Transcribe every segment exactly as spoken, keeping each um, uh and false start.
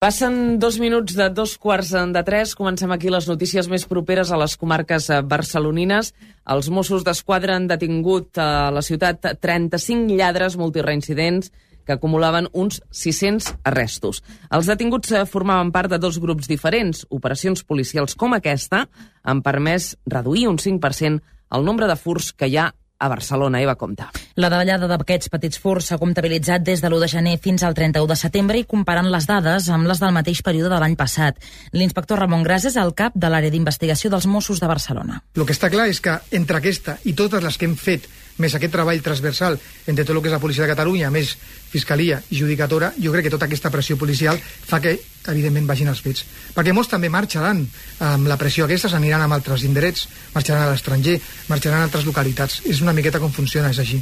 Passen dos minuts de dos quarts de tres. Comencem aquí les notícies més properes a les comarques barcelonines. Els Mossos d'Esquadra han detingut a la ciutat trenta-cinc lladres multireincidents que acumulaven uns sis-cents arrestos. Els detinguts formaven part de dos grups diferents. Operacions policials com aquesta han permès reduir un cinc per cent el nombre de furts que hi ha a Barcelona. Eva, compta. La davallada d'aquests petits furts s'ha comptabilitzat des de l'u de gener fins al trenta-u de setembre i comparant les dades amb les del mateix període de l'any passat. L'inspector Ramon Gras és el cap de l'àrea d'investigació dels Mossos de Barcelona. El que està clar és que entre aquesta i totes les que hem fet, més aquest treball transversal entre tot el que és la policia de Catalunya, més fiscalia i judicatura, jo crec que tota aquesta pressió policial fa que, evidentment, vagin els fets. Perquè molts també marxaran amb la pressió aquesta, s'aniran amb altres indrets, marxaran a l'estranger, marxaran a altres localitats. És una miqueta com funciona, és així.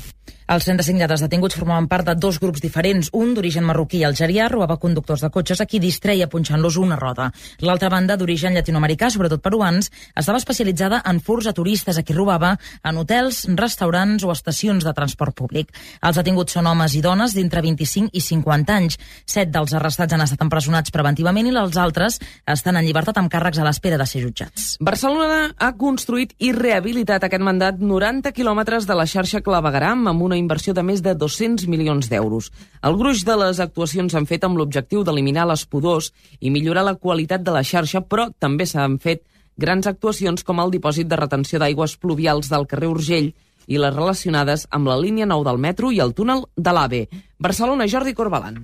Els trenta-cinc lladres detinguts formaven part de dos grups diferents. Un, d'origen marroquí i algerià, robava conductors de cotxes a qui distreia punxant-los una roda. L'altra banda, d'origen llatinoamericà, sobretot peruans, estava especialitzada en furts a turistes a qui robava en hotels, restaurants o estacions de transport públic. Els detinguts són homes i dones d'entre vint-i-cinc i cinquanta anys. Set dels arrestats han estat empresonats preventivament i els altres estan en llibertat amb càrrecs a l'espera de ser jutjats. Barcelona ha construït i rehabilitat aquest mandat noranta quilòmetres de la xarxa clavegueram amb una inversió de més de dos-cents milions d'euros. El gruix de les actuacions s'han fet amb l'objectiu d'eliminar les pudors i millorar la qualitat de la xarxa, però també s'han fet grans actuacions com el dipòsit de retenció d'aigües pluvials del carrer Urgell i les relacionades amb la línia nou del metro i el túnel de l'AVE. Barcelona, Jordi Corbalan.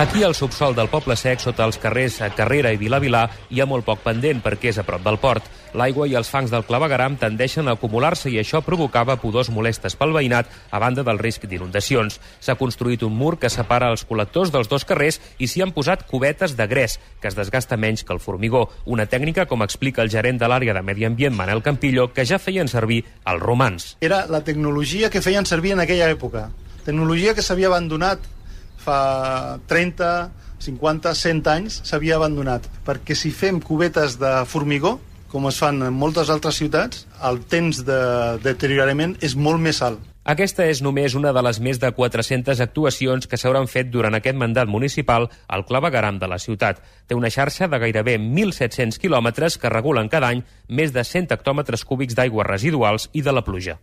Aquí al subsol del Poble Sec, sota els carrers Carrera i Vilavilà, hi ha molt poc pendent perquè és a prop del port. L'aigua i els fangs del clavegueram tendeixen a acumular-se i això provocava pudors molestes pel veïnat a banda del risc d'inundacions. S'ha construït un mur que separa els col·lectors dels dos carrers i s'hi han posat cubetes de gres, que es desgasta menys que el formigó. Una tècnica, com explica el gerent de l'àrea de Medi Ambient, Manel Campillo, que ja feien servir els romans. Era la tecnologia que feien servir en aquella època. Tecnologia que s'havia abandonat fa trenta, cinquanta, cent anys, s'havia abandonat. Perquè si fem cubetes de formigó, com es fan en moltes altres ciutats, el temps de deteriorament és molt més alt. Aquesta és només una de les més de quatre-centes actuacions que s'hauran fet durant aquest mandat municipal al clavegueram de la ciutat. Té una xarxa de gairebé mil set-cents quilòmetres que regulen cada any més de cent hectòmetres cúbics d'aigües residuals i de la pluja.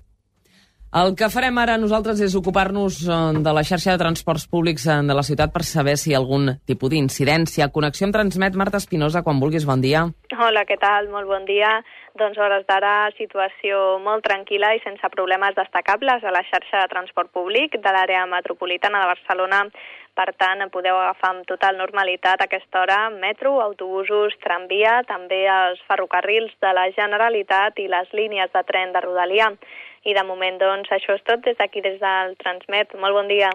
El que farem ara nosaltres és ocupar-nos de la xarxa de transports públics de la ciutat per saber si hi ha algun tipus d'incidència. Connexió em transmet Marta Espinosa, quan vulguis, bon dia. Hola, què tal? Molt bon dia. Doncs hores d'ara, situació molt tranquil·la i sense problemes destacables a la xarxa de transport públic de l'àrea metropolitana de Barcelona. Per tant, podeu agafar amb total normalitat a aquesta hora metro, autobusos, tramvia, també els ferrocarrils de la Generalitat i les línies de tren de Rodalia. I de moment, doncs, això és tot des d'aquí, des del Transmet. Molt bon dia.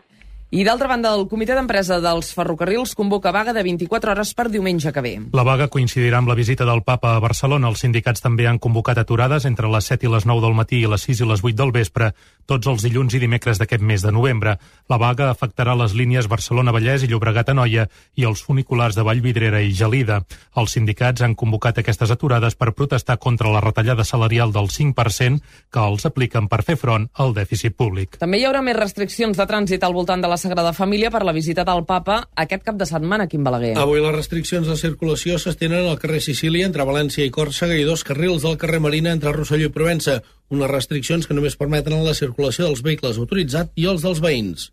I d'altra banda, el comitè d'empresa dels ferrocarrils convoca vaga de vint-i-quatre hores per diumenge que ve. La vaga coincidirà amb la visita del Papa a Barcelona. Els sindicats també han convocat aturades entre les set i les nou del matí i les sis i les vuit del vespre, tots els dilluns i dimecres d'aquest mes de novembre. La vaga afectarà les línies Barcelona-Vallès i Llobregat-Anoia i els funiculars de Vallvidrera i Gelida. Els sindicats han convocat aquestes aturades per protestar contra la retallada salarial del cinc per cent que els apliquen per fer front al dèficit públic. També hi haurà més restriccions de trànsit al voltant de la Sagrada Família per la visita del Papa aquest cap de setmana, Quim Balaguer. Avui les restriccions de circulació s'estenen al carrer Sicília entre València i Còrsega i dos carrils del carrer Marina entre Rosselló i Provença. Unes restriccions que només permeten la circulació dels vehicles autoritzats i els dels veïns.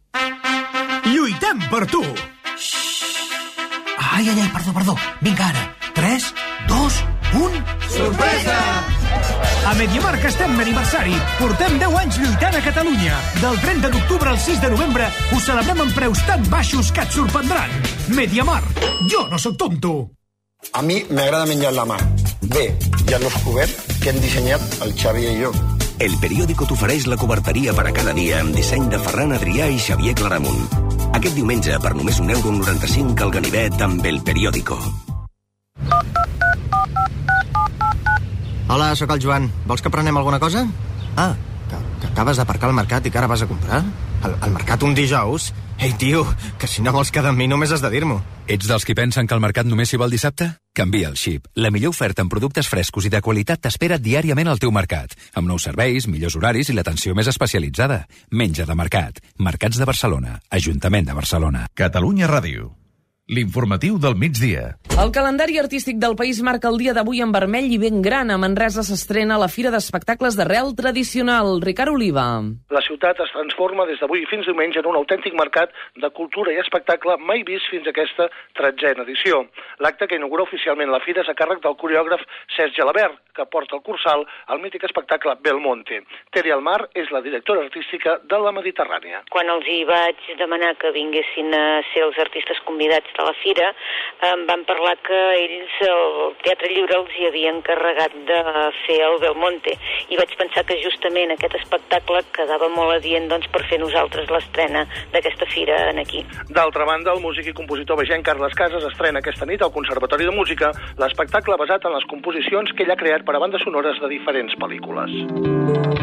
Lluitem per tu! Ai, ai, ai, perdó, perdó. Vinga ara. tres, dos, un... Sorpresa! A MediaMarkt estem d'aniversari. Portem deu anys lluitant a Catalunya. Del trenta d'octubre al sis de novembre us celebrem amb preus tan baixos que et sorprendran. MediaMarkt. Jo no sóc tonto. A mi m'agrada menjar la mà. Bé, i a l'Oscobert que hem dissenyat el Xavi i jo. El periòdico t'ofereix la coberteria per a cada dia amb disseny de Ferran Adrià i Xavier Claramunt. Aquest diumenge, per només un euro noranta-cinc al ganivet amb El Periódico. Hola, sóc el Joan. Vols que prenem alguna cosa? Ah, que, que acabes d'aparcar al mercat i que ara vas a comprar? Al, al mercat un dijous? Ei, tio, que si no vols quedar amb mi només has de dir-m'ho. Ets dels qui pensen que el mercat només s'hi va el dissabte? Canvia el xip. La millor oferta en productes frescos i de qualitat t'espera diàriament al teu mercat, amb nous serveis, millors horaris i l'atenció més especialitzada. Menja de mercat. Mercats de Barcelona. Ajuntament de Barcelona. Catalunya Ràdio. l'informatiu del migdia. El calendari artístic del país marca el dia d'avui en vermell i ben gran. A Manresa s'estrena la Fira d'Espectacles d'Arrel Tradicional. Ricard Oliva. La ciutat es transforma des d'avui fins diumenge en un autèntic mercat de cultura i espectacle mai vist fins a aquesta tretzena edició. L'acte que inaugura oficialment la fira és a càrrec del coreògraf Cesc Gelabert, que porta el cursal al mític espectacle Belmonte. Teri Almar és la directora artística de la Mediterrània. Quan els hi vaig demanar que vinguessin a ser els artistes convidats de la fira, em van parlar que ells, el Teatre Lliure, els hi havia encarregat de fer el Belmonte. I vaig pensar que justament aquest espectacle quedava molt adient doncs, per fer nosaltres l'estrena d'aquesta fira aquí. D'altra banda, el músic i compositor vegenc Carles Casas estrena aquesta nit al Conservatori de Música l'espectacle basat en les composicions que ell ha creat per a bandes sonores de diferents pel·lícules.